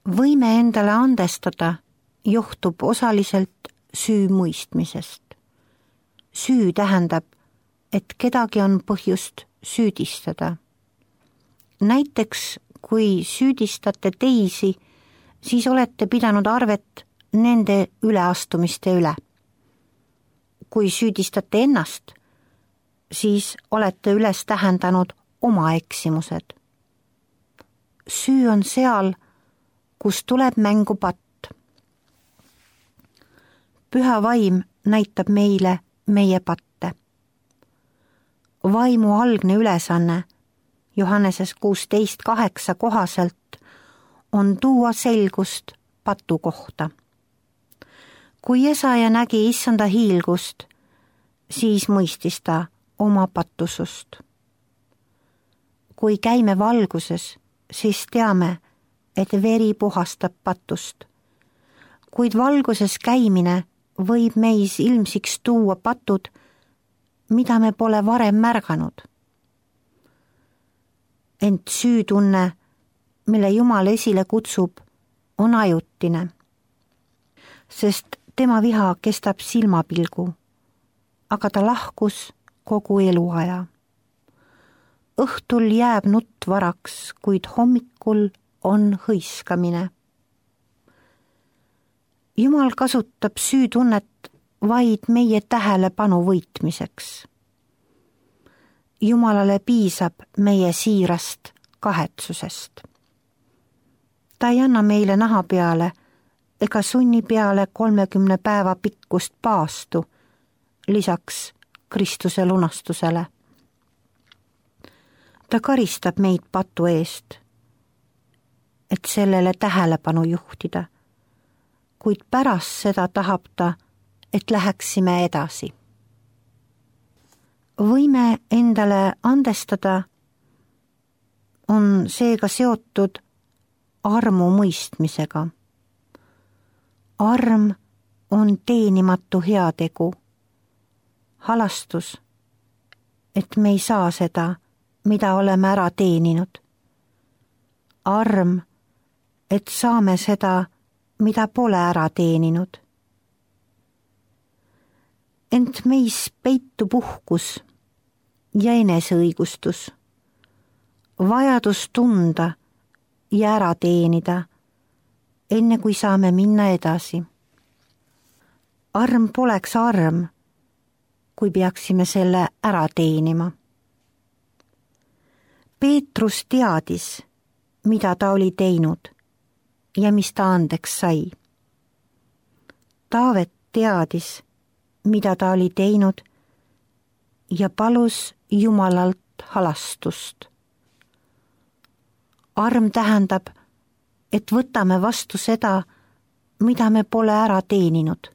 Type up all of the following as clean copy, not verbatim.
Võime endale andestada johtub osaliselt süü mõistmisest. Süü tähendab, et kedagi on põhjust süüdistada. Näiteks, kui süüdistate teisi, siis olete pidanud arvet nende üleastumiste üle. Kui süüdistate ennast, siis olete üles tähendanud oma eksimused. Süü on seal, kus tuleb mängu patt. Püha vaim näitab meile meie patte. Vaimu algne ülesanne Johanneses 16:8 kohaselt on tuua selgust patu kohta. Kui Jesaja nägi issanda hiilgust, siis mõistis ta oma pattusust. Kui käime valguses, siis teame, et veri puhastab patust. Kuid valguses käimine võib meis ilmsiks tuua patud, mida me pole varem märganud. Ent süütunne, mille Jumal esile kutsub, on ajutine, sest tema viha kestab silmapilgu, aga ta lahkus kogu eluaja. Õhtul jääb nutt varaks, kuid hommikul on hõiskamine. Jumal kasutab süütunnet vaid meie tähelepanu võitmiseks. Jumalale piisab meie siirast kahetsusest. Ta ei anna meile naha peale ega sunni peale 30 päeva pikkust paastu, lisaks Kristuse lunastusele. Ta karistab meid patu eest, et sellele tähelepanu juhtida, kuid pärast seda tahab ta, et läheksime edasi. Võime endale andestada on seega seotud armu mõistmisega. Arm on teenimatu heategu, halastus, et me ei saa seda, mida oleme ära teeninud. Arm, et saame seda, mida pole ära teeninud. Ent meis peitub uhkus ja eneseõigustus, vajadus tunda ja ära teenida, enne kui saame minna edasi. Arm poleks arm, kui peaksime selle ära teenima. Peetrus teadis, mida ta oli teinud ja mis ta andeks sai. Taavet teadis, mida ta oli teinud ja palus Jumalalt halastust. Arm tähendab, et võtame vastu seda, mida me pole ära teeninud.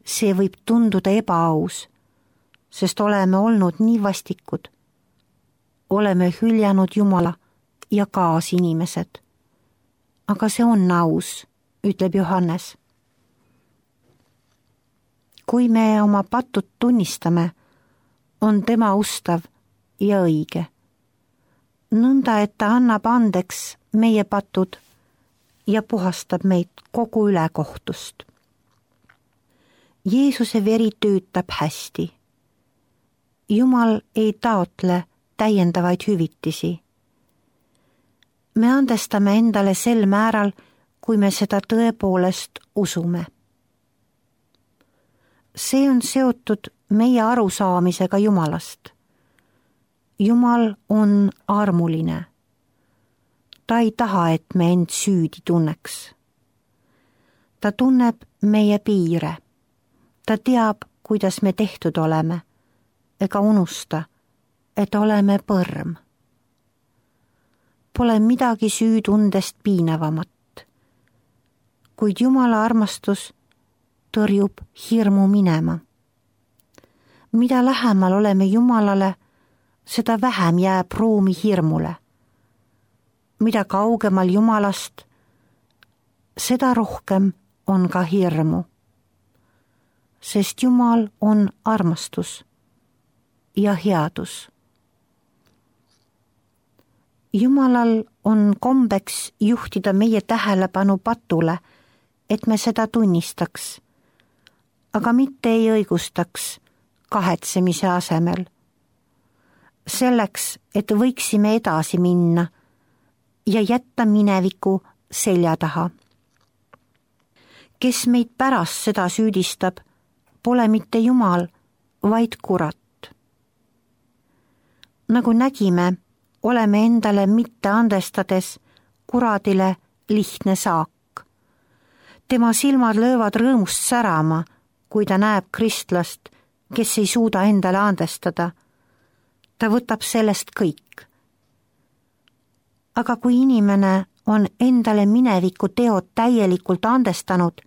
See võib tunduda ebaaus, sest oleme olnud nii vastikud. Oleme hüljanud Jumala ja kaasinimesed. Aga see on aus, ütleb Johannes. Kui me oma patud tunnistame, on tema ustav ja õige. Nõnda, et ta annab andeks meie patud ja puhastab meid kogu ülekohtust. Jeesuse veri töötab hästi. Jumal ei taotle täiendavaid hüvitisi. Me andestame endale sel määral, kui me seda tõepoolest usume. See on seotud meie arusaamisega Jumalast. Jumal on armuline. Ta ei taha, et me end süüdi tunneks. Ta tunneb meie piire. Ta teab, kuidas me tehtud oleme, ega unusta, et oleme põrm. Pole midagi süütundest piinavamat, kuid Jumala armastus tõrjub hirmu minema. Mida lähemal oleme Jumalale, seda vähem jääb ruumi hirmule. Mida kaugemal Jumalast, seda rohkem on ka hirmu. Sest Jumal on armastus ja headus. Jumalal on kombeks juhtida meie tähelepanu patule, et me seda tunnistaks, aga mitte ei õigustaks kahetsemise asemel. Selleks, et võiksime edasi minna ja jätta mineviku selja taha. Kes meid pärast seda süüdistab, pole mitte Jumal, vaid kurat. Nagu nägime, oleme endale mitte andestades kuradile lihtne saak. Tema silmad löövad rõõmust särama, kui ta näeb kristlast, kes ei suuda endale andestada. Ta võtab sellest kõik. Aga kui inimene on endale mineviku teod täielikult andestanud,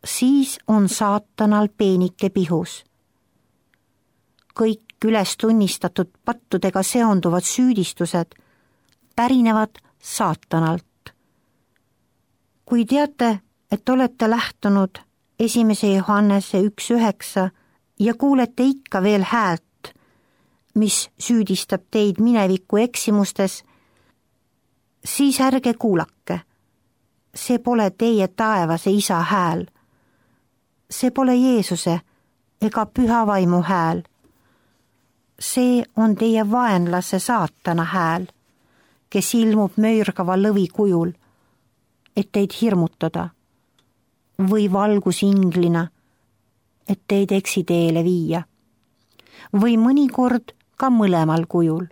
siis on saatanal peenike pihus. Kõik üles tunnistatud pattudega seonduvad süüdistused pärinevad saatanalt. Kui teate, et olete lähtunud 1. Johannese 1.9 ja kuulete ikka veel häält, mis süüdistab teid mineviku eksimustes, siis ärge kuulake. See pole teie taevase isa hääl. See pole Jeesuse ega püha vaimu hääl. See on teie vaenlase saatana hääl, kes ilmub möörgava lõvi kujul, et teid hirmutada, või valgusinglina, et teid eksiteele viia, või mõnikord ka mõlemal kujul.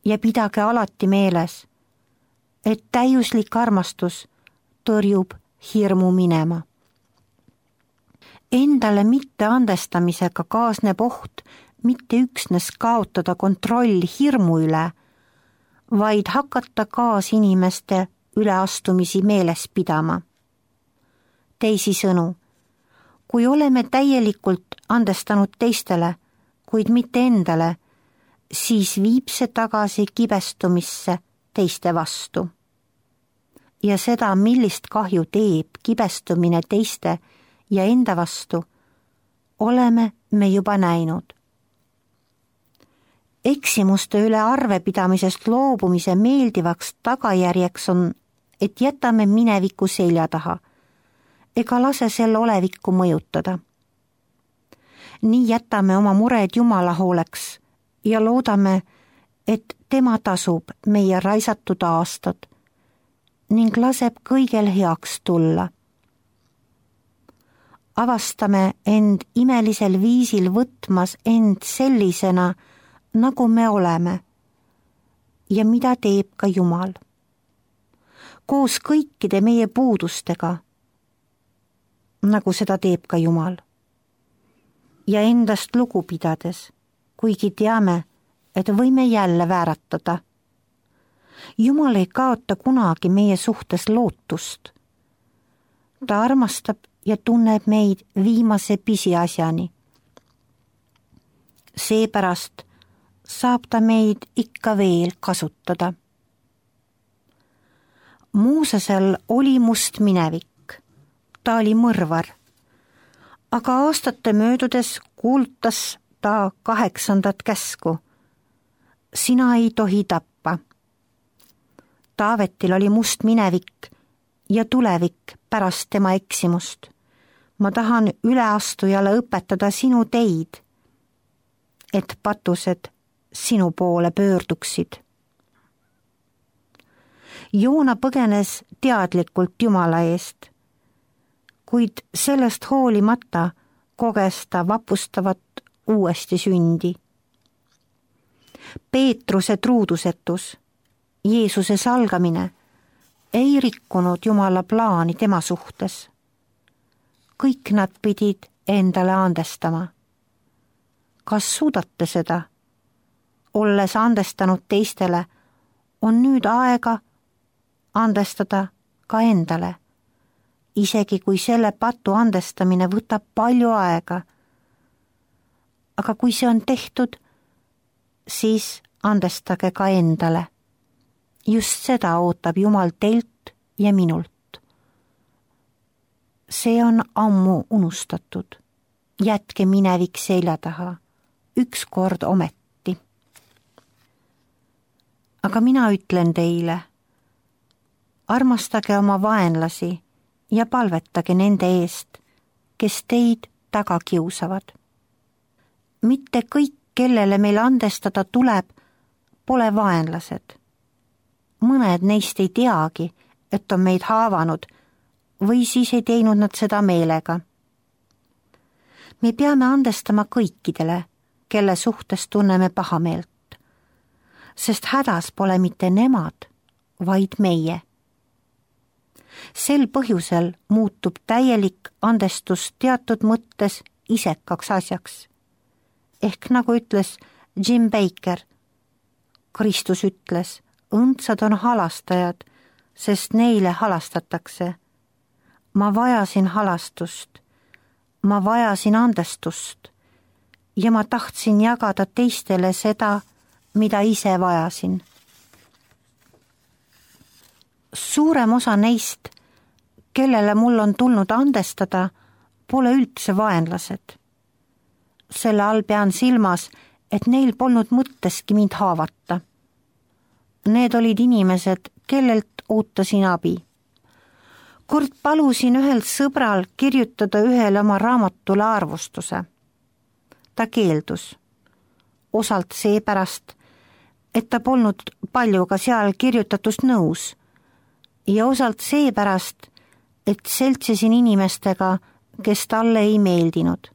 Ja pidage alati meeles, et täiuslik armastus tõrjub hirmu minema. Endale mitte andestamisega kaasneb oht mitte üksnes kaotada kontroll hirmu üle, vaid hakata kaasinimeste üleastumisi meeles pidama. Teisisõnu, kui oleme täielikult andestanud teistele, kuid mitte endale, siis viib see tagasi kibestumisse teiste vastu. Ja seda, millist kahju teeb kibestumine teiste ja enda vastu, oleme me juba näinud. Eksimuste üle arvepidamisest loobumise meeldivaks tagajärjeks on, et jätame mineviku selja taha ega lase selle olevikku mõjutada. Nii jätame oma mured Jumala hooleks ja loodame, et tema tasub meie raisatud aastad ning laseb kõigel heaks tulla. Avastame end imelisel viisil võtmas end sellisena, nagu me oleme ja mida teeb ka Jumal. Koos kõikide meie puudustega, nagu seda teeb ka Jumal. Ja endast lugu pidades, kuigi teame, et võime jälle vääratada. Jumal ei kaota kunagi meie suhtes lootust. Ta armastab ja tunneb meid viimase pisiasjani. Seepärast saab ta meid ikka veel kasutada. Moosesel oli must minevik, ta oli mõrvar, aga aastate möödudes kuulutas ta 8. käsku. Sina ei tohi tappa. Taavetil oli must minevik ja tulevik pärast tema eksimust. Ma tahan üleastujale õpetada sinu teid, et patused sinu poole pöörduksid. Joona põgenes teadlikult Jumala eest, kuid sellest hoolimata koges ta vapustavat uuesti sündi. Peetruse truudusetus, Jeesuse salgamine ei rikkunud Jumala plaani tema suhtes. Kõik nad pidid endale andestama. Kas suudate seda? Olles andestanud teistele, on nüüd aega andestada ka endale, isegi kui selle patu andestamine võtab palju aega. Aga kui see on tehtud, siis andestage ka endale. Just seda ootab Jumal teilt ja minult. See on ammu unustatud. Jätke minevik selja taha, ükskord ometi. Aga mina ütlen teile, armastage oma vaenlasi ja palvetage nende eest, kes teid taga kiusavad. Mitte kõik, kellele meil andestada tuleb, pole vaenlased. Mõned neist ei teagi, et on meid haavanud või siis ei teinud nad seda meelega. Me peame andestama kõikidele, kelle suhtes tunneme pahameelt, sest hädas pole mitte nemad, vaid meie. Sel põhjusel muutub täielik andestus teatud mõttes isekaks asjaks. Ehk nagu ütles Jim Baker, Kristus ütles, õndsad on halastajad, sest neile halastatakse. Ma vajasin halastust, ma vajasin andestust ja ma tahtsin jagada teistele seda, mida ise vajasin. Suurem osa neist, kellele mul on tulnud andestada, pole üldse vaenlased. Selle all pean silmas, et neil polnud mõtteski mind haavata. Need olid inimesed, kellelt ootasin abi. Kord palusin ühelt sõbral kirjutada ühele oma raamatule arvustuse. Ta keeldus. Osalt seepärast, et ta polnud palju ka seal kirjutatust nõus ja osalt seepärast, et seltsisin inimestega, kes talle ei meeldinud.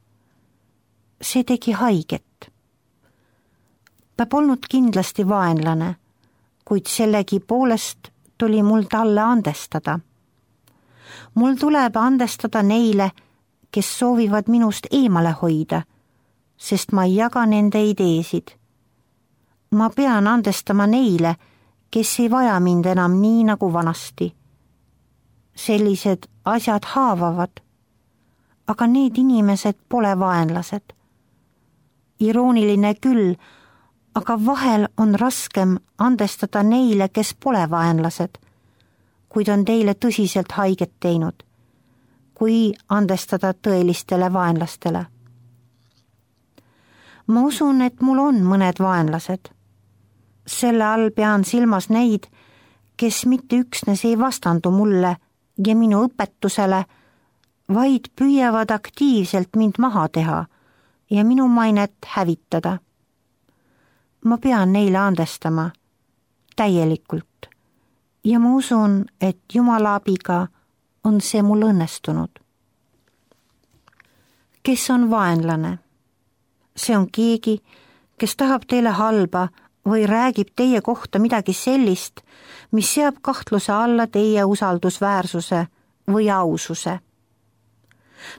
See tegi haiget. Ta polnud kindlasti vaenlane, kuid sellegi poolest tuli mul talle andestada. Mul tuleb andestada neile, kes soovivad minust eemale hoida, sest ma ei jaga nende ideesid. Ma pean andestama neile, kes ei vaja mind enam nii nagu vanasti. Sellised asjad haavavad, aga need inimesed pole vaenlased. Irooniline küll, aga vahel on raskem andestada neile, kes pole vaenlased, kuid on teile tõsiselt haiget teinud, kui andestada tõelistele vaenlastele. Ma usun, et mul on mõned vaenlased. Selle all pean silmas neid, kes mitte üksnes ei vastandu mulle ja minu õpetusele, vaid püüavad aktiivselt mind maha teha ja minu mainet hävitada. Ma pean neile andestama täielikult ja ma usun, et Jumala abiga on see mul õnnestunud. Kes on vaenlane? See on keegi, kes tahab teile halba või räägib teie kohta midagi sellist, mis seab kahtluse alla teie usaldusväärsuse või aususe.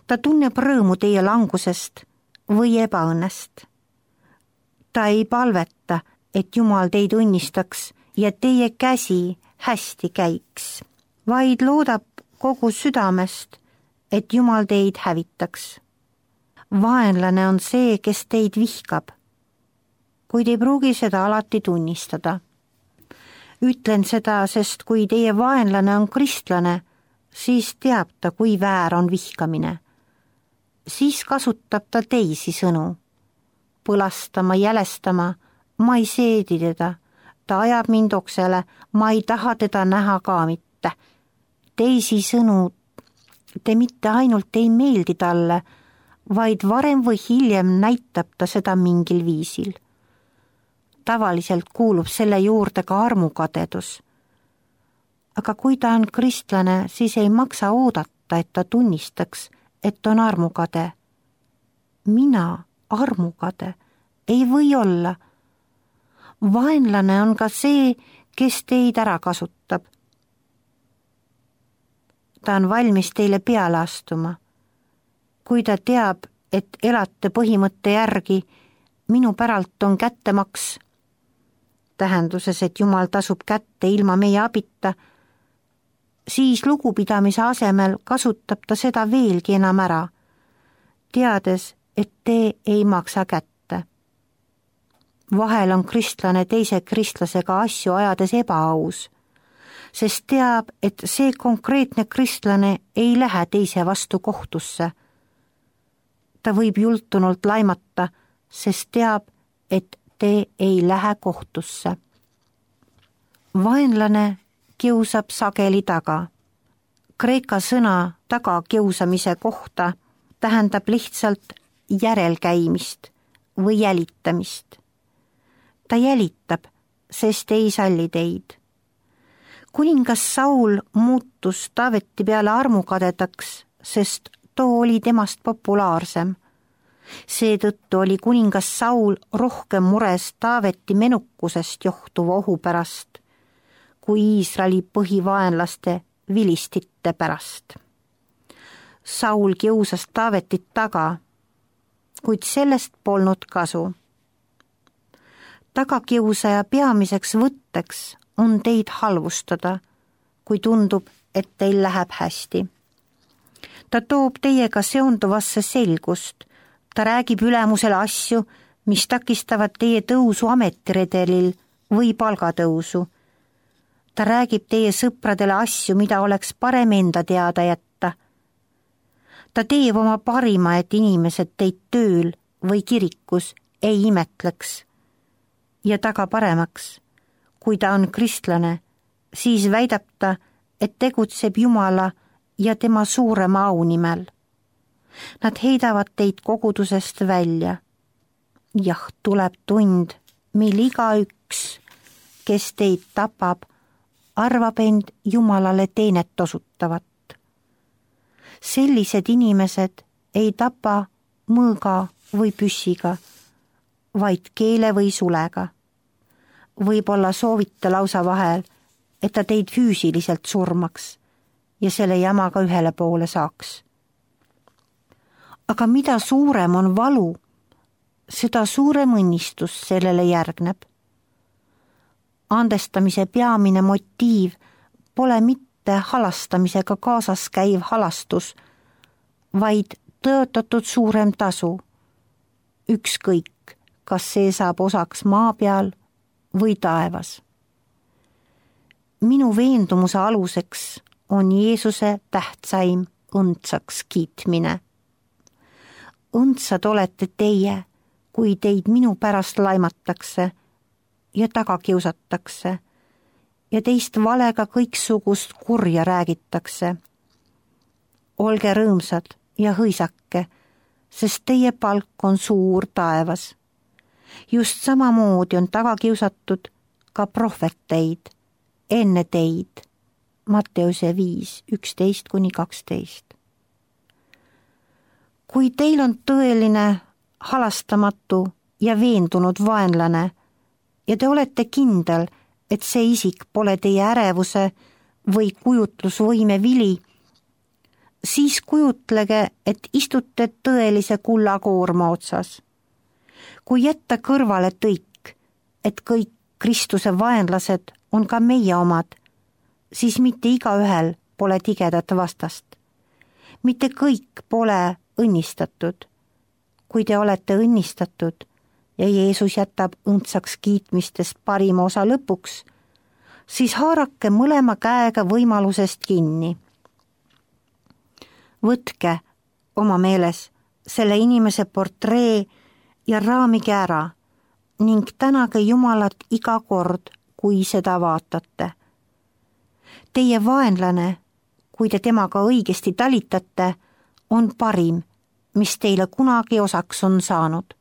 Ta tunneb rõõmu teie langusest või ebaõnnest. Ta ei palveta, et Jumal teid õnnistaks ja teie käsi hästi käiks, vaid loodab kogu südamest, et Jumal teid hävitaks. Vaenlane on see, kes teid vihkab, kuid ei pruugi seda alati tunnistada. Ütlen seda, sest kui teie vaenlane on kristlane, siis teab ta, kui väär on vihkamine. Siis kasutab ta teisi sõnu. Põlastama, jälestama, ma ei seedi teda, ta ajab mind oksele, ma ei taha teda näha ka mitte. Teisi sõnu, te mitte ainult ei meeldi talle, vaid varem või hiljem näitab ta seda mingil viisil. Tavaliselt kuulub selle juurde ka armukadedus. Aga kui ta on kristlane, siis ei maksa oodata, et ta tunnistaks, et on armukade. Mina armukade ei või olla. Vaenlane on ka see, kes teid ära kasutab. Ta on valmis teile peale astuma. Kui ta teab, et elate põhimõtte järgi, minu päralt on kättemaks, tähenduses, et Jumal tasub kätte ilma meie abita, siis lugupidamise asemel kasutab ta seda veelgi enam ära, teades, et te ei maksa kätte. Vahel on kristlane teise kristlasega asju ajades ebaaus, sest teab, et see konkreetne kristlane ei lähe teise vastu kohtusse. Ta võib jultunult laimata, sest teab, et te ei lähe kohtusse. vaenlane kiusab sageli taga. Kreeka sõna tagakiusamise kohta tähendab lihtsalt järelkäimist või jälitamist. Ta jälitab, sest ei salli teid. Kuningas Saul muutus Taaveti peale armukadedaks, sest too oli temast populaarsem. Seetõttu oli kuningas Saul rohkem mures Taaveti menukusest johtuva ohu pärast, kui Iisraeli põhivaenlaste vilistite pärast. Saul kiusas Taavetit taga, kuid sellest polnud kasu. Tagakiusaja peamiseks võtteks on teid halvustada, kui tundub, et teil läheb hästi. Ta toob teiega seonduvasse selgust, ta räägib ülemusele asju, mis takistavad teie tõusu ametiredelil või palgatõusu. Ta räägib teie sõpradele asju, mida oleks parem enda teada jätta. Ta teeb oma parima, et inimesed teid tööl või kirikus ei imetleks. Ja taga paremaks, kui ta on kristlane, siis väidab ta, et tegutseb Jumala ja tema suurema au nimel. Nad heidavad teid kogudusest välja. Jah, tuleb tund, mil igaüks, kes teid tapab, arvab end Jumalale teenet osutavat. Sellised inimesed ei tapa mõõga või püssiga, vaid keele või sulega. Võib-olla soovite lausa vahel, et ta teid füüsiliselt surmaks ja selle jamaga ühele poole saaks. Aga mida suurem on valu, seda suurem õnnistus sellele järgneb. Andestamise peamine motiiv pole mitte halastamisega kaasas käiv halastus, vaid tõotatud suurem tasu. Ükskõik, kas see saab osaks maa peal või taevas. Minu veendumuse aluseks on Jeesuse tähtsaim õndsaks kiitmine. Õndsad olete teie, kui teid minu pärast laimatakse ja taga kiusatakse ja teist valega kõiksugust kurja räägitakse. Olge rõõmsad ja hõisake, sest teie palk on suur taevas. Just samamoodi on taga kiusatud ka prohveteid enne teid. Matteuse 5:11-12. Kui teil on tõeline, halastamatu ja veendunud vaenlane ja te olete kindel, et see isik pole teie ärevuse või kujutlusvõime vili, siis kujutlege, et istute tõelise kullakoorma otsas. Kui jätta kõrvale tõik, et kõik Kristuse vaenlased on ka meie omad, siis mitte igaühel pole tigedat vastast. Mitte kõik pole õnnistatud. Kui te olete õnnistatud ja Jeesus jätab õndsaks kiitmistest parima osa lõpuks, siis haarake mõlema käega võimalusest kinni. Võtke oma meeles selle inimese portree ja raamige ära ning tänage Jumalat iga kord, kui seda vaatate. Teie vaenlane, kui te temaga õigesti talitate, on parim, mis teile kunagi osaks on saanud.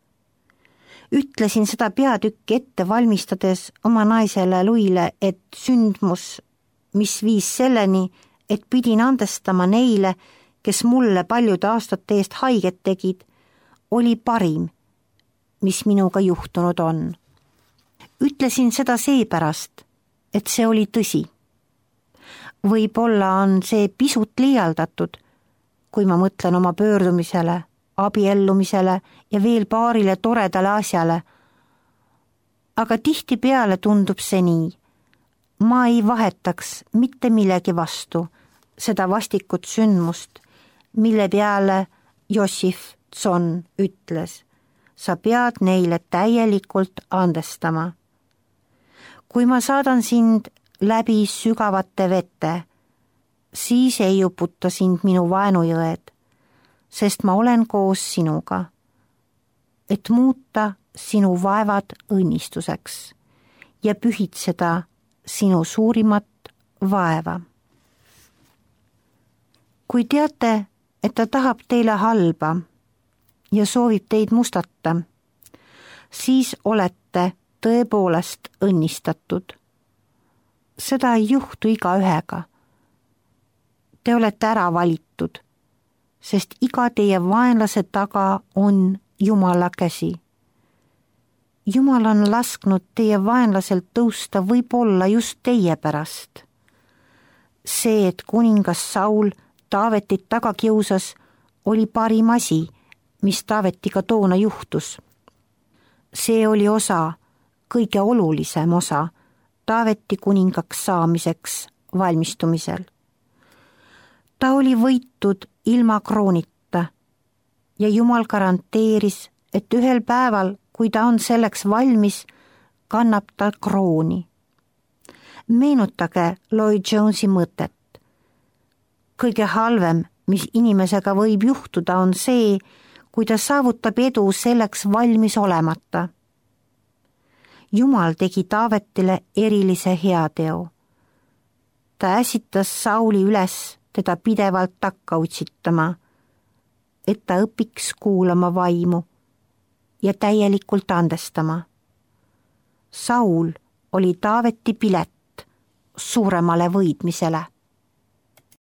Ütlesin seda peatükki ette valmistades oma naisele Luile, et sündmus, mis viis selleni, et pidin andestama neile, kes mulle paljude aastate eest haiget tegid, oli parim, mis minuga juhtunud on. Ütlesin seda seepärast, et see oli tõsi. Võib-olla on see pisut liialdatud, kui ma mõtlen oma pöördumisele, abiellumisele ja veel paarile toredale asjale. Aga tihtipeale tundub see nii. Ma ei vahetaks mitte millegi vastu seda vastikut sündmust, mille peale Jossif Tson ütles, sa pead neile täielikult andestama. Kui ma saadan sind läbi sügavate vete, siis ei uputa sind minu vaenujõed, sest ma olen koos sinuga, et muuta sinu vaevad õnnistuseks ja pühitseda sinu suurimat vaeva. kui teate, et ta tahab teile halba ja soovib teid mustata, siis olete tõepoolest õnnistatud. seda ei juhtu igaühega. Te olete ära valitud, sest iga teie vaenlase taga on Jumala käsi. Jumal on lasknud teie vaenlaselt tõusta võib-olla just teie pärast. See, et kuningas Saul Taavetit taga kiusas, oli parim asi, mis Taavetiga toona juhtus. See oli osa, kõige olulisem osa Taaveti kuningaks saamiseks valmistumisel. Ta oli võitud ilma kroonita ja Jumal garanteeris, et ühel päeval, kui ta on selleks valmis, kannab ta krooni. Meenutage Lloyd Jonesi mõtet. Kõige halvem, mis inimesega võib juhtuda, on see, kui ta saavutab edu selleks valmis olemata. Jumal tegi Taavetile erilise heateo. Ta äsitas Sauli üles teda pidevalt takka utsitama, et ta õpiks kuulama vaimu ja täielikult andestama. Saul oli Taaveti pilet suuremale võidmisele.